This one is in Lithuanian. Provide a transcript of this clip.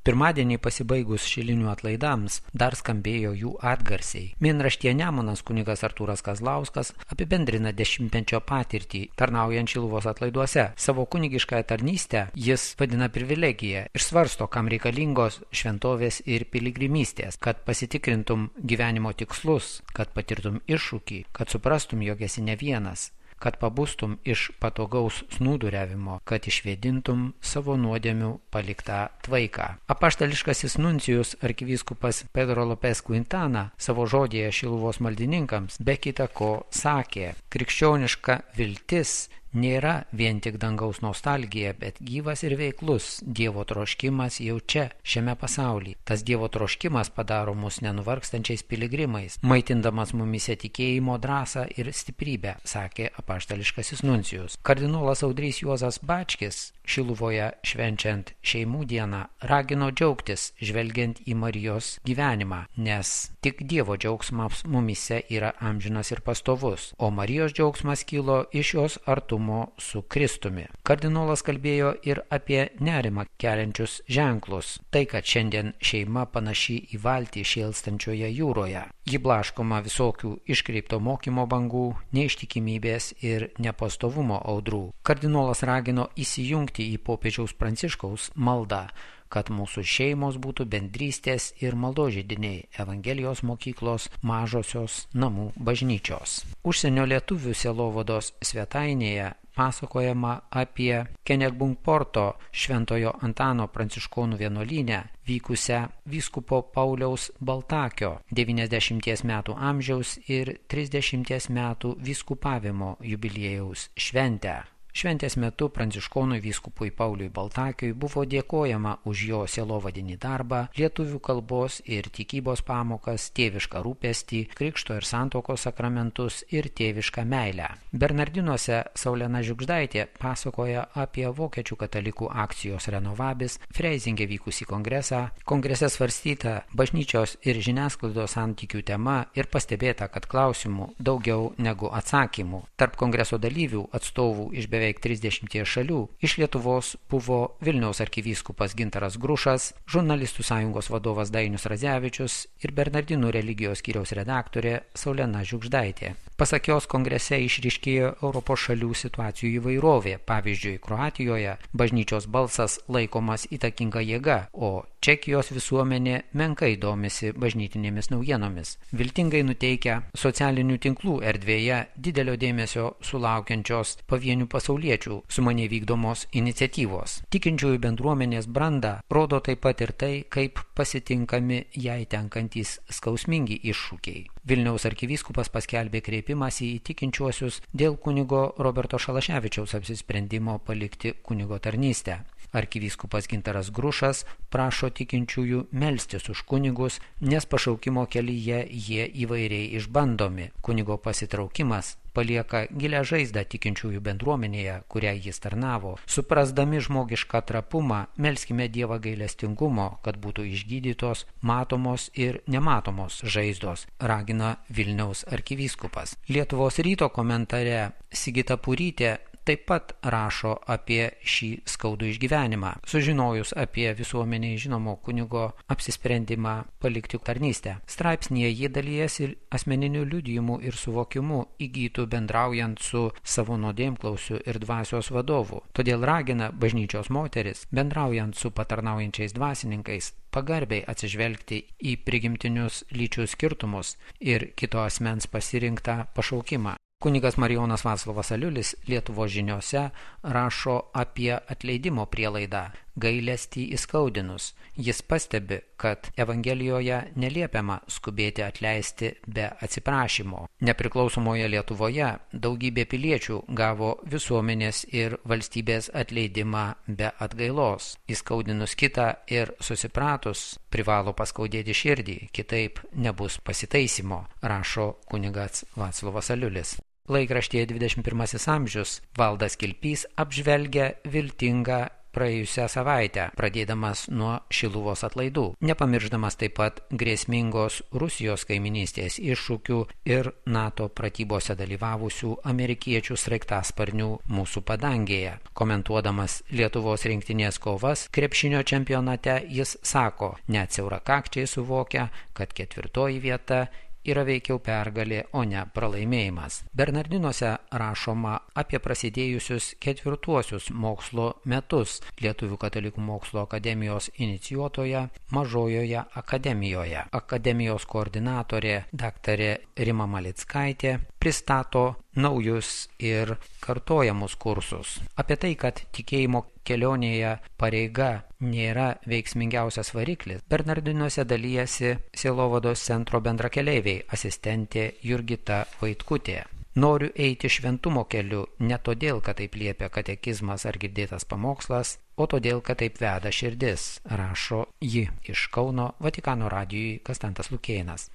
Pirmadienį pasibaigus šilinių atlaidams dar skambėjo jų atgarsiai. Mėnraštyje Nemunas kunigas Artūras Kazlauskas apibendrina 10-mečio patirtį tarnaujant Šiluvos atlaiduose. Savo kunigiškąją tarnystę jis vadina privilegija ir svarsto, kam reikalingos šventovės ir piligrimystės, kad pasitikrintum gyvenimo tikslus, kad patirtum iššūkį, kad suprastum, jog esi ne vienas, kad pabustum iš patogaus snūduriavimo, kad išvėdintum savo nuodėmių paliktą tvaiką. Apaštališkasis nuncijus arkivyskupas Pedro Lopes Quintana savo žodėje Šiluvos maldininkams be kita ko sakė: krikščioniška viltis nėra vien tik dangaus nostalgija, bet gyvas ir veiklus Dievo troškimas jau čia, šiame pasaulyje. Tas Dievo troškimas padaro mus nenuvargstančiais piligrimais, maitindamas mumise tikėjimo drąsą ir stiprybę, sakė apaštališkasis nuncijus. Kardinolas Audrys Juozas Bačkis Šiluvoje švenčiant šeimų dieną ragino džiaugtis žvelgiant į Marijos gyvenimą, nes tik Dievo džiaugsmas mumise yra amžinas ir pastovus, o Marijos džiaugsmas kilo iš jos artumo su Kristumi. Kardinolas kalbėjo ir apie nerimą keliančius ženklus. Tai, kad šiandien šeima panaši į valtį šėlstančioje jūroje. Ji blaškoma visokių iškreipto mokymo bangų, neištikimybės ir nepastovumo audrų. Kardinolas ragino įsijungti į popiežiaus Pranciškaus maldą, kad mūsų šeimos būtų bendrystės ir maldožidiniai, Evangelijos mokyklos, mažosios namų bažnyčios. Užsienio lietuvių sielovados svetainėje pasakojama apie Kenegbunkporto Šventojo Antano pranciškonų vienuolyne vykusią vyskupo Pauliaus Baltakio 90 metų amžiaus ir 30 metų vyskupavimo jubiliejaus šventę. Šventės metu pranciškonui vyskupui Pauliui Baltakiui buvo dėkojama už jo sielovadinį darbą, lietuvių kalbos ir tikybos pamokas, tėvišką rūpestį, krikšto ir santuokos sakramentus ir tėvišką meilę. Bernardinuose Saulena Žiugždaitė pasakoja apie vokiečių katalikų akcijos Renovabis Freizinge vykusį kongresą. Kongrese svarstyta bažnyčios ir žiniasklaidos santykių tema ir pastebėta, kad klausimų daugiau negu atsakymų. Tarp kongreso dalyvių atstovų iš beveik 30 šalių iš Lietuvos buvo Vilniaus arkivyskupas Gintaras Grušas, žurnalistų sąjungos vadovas Dainius Radzevičius ir Bernardinų religijos skyriaus redaktorė Saulena Žiugždaitė. Pasak jos, kongrese išryškėjo Europos šalių situacijų įvairovė. Pavyzdžiui, Kroatijoje bažnyčios balsas laikomas įtakinga jėga, o Čekijos visuomenė menkai domisi bažnytinėmis naujienomis. Viltingai nuteikia socialinių tinklų erdvėje didelio dėmesio sulaukiančios pavienių pasauliečių sumaniai vykdomos iniciatyvos. Tikinčiųjų bendruomenės brandą rodo taip pat ir tai, kaip pasitinkami jai tenkantys skausmingi iššūkiai. Vilniaus arkivyskupas paskelbė kreipimąsi į tikinčiuosius dėl kunigo Roberto Šalaševičiaus apsisprendimo palikti kunigo tarnystę. Arkivyskupas Gintaras Grušas prašo tikinčiųjų melstis už kunigus, nes pašaukimo kelyje jie įvairiai išbandomi. Kunigo pasitraukimas palieka gilią žaizdą tikinčiųjų bendruomenėje, kuriai jis tarnavo. Suprasdami žmogišką trapumą, melskime Dievą gailestingumo, kad būtų išgydytos matomos ir nematomos žaizdos, ragina Vilniaus arkivyskupas. Lietuvos ryto komentare Sigita Purytė taip pat rašo apie šį skaudų išgyvenimą, sužinojus apie visuomeniai žinomo kunigo apsisprendimą palikti tarnystę. Straipsnyje jie dalijasi asmeniniu liudijimu ir suvokimu įgytų bendraujant su savo nuodėmklausiu ir dvasios vadovu. Todėl ragina bažnyčios moteris, bendraujant su patarnaujančiais dvasininkais, pagarbiai atsižvelgti į prigimtinius lyčių skirtumus ir kito asmens pasirinktą pašaukimą. Kunigas Marijonas Vaclovas Aliulis Lietuvos žiniose rašo apie atleidimo prielaidą, gailestį įskaudinus. Jis pastebi, kad Evangelijoje neliepiama skubėti atleisti be atsiprašymo. Nepriklausomoje Lietuvoje daugybė piliečių gavo visuomenės ir valstybės atleidimą be atgailos. Įskaudinus kitą ir susipratus privalo paskaudėti širdį, kitaip nebus pasitaisymo, rašo kunigas Vaclovas Aliulis. Laikraštyje 21 amžius Valdas Kilpys apžvelgia viltingą praėjusią savaitę, pradėdamas nuo Šiluvos atlaidų, nepamirždamas taip pat grėsmingos Rusijos kaiminystės iššūkių ir NATO pratybose dalyvavusių amerikiečių sraigtasparnių mūsų padangėje. Komentuodamas Lietuvos rinktinės kovas krepšinio čempionate, jis sako, net siaurakakčiai suvokia, kad 4. vieta yra veikiau pergalė, o ne pralaimėjimas. Bernardinuose rašoma apie prasidėjusius 4. mokslo metus Lietuvių katalikų mokslo akademijos inicijuotoje Mažojoje akademijoje. Akademijos koordinatorė daktarė Rima Malickaitė pristato naujus ir kartojamus kursus. Apie tai, kad tikėjimo kelionėje pareiga nėra veiksmingiausias variklis, Bernardinuose dalyjasi sielovados centro bendrakeleiviai, asistentė Jurgita Vaitkutė. Noriu eiti šventumo keliu ne todėl, kad taip liepia katekizmas ar girdėtas pamokslas, o todėl, kad taip veda širdis, rašo ji. Iš Kauno Vatikano radijui Konstantas Lukėnas.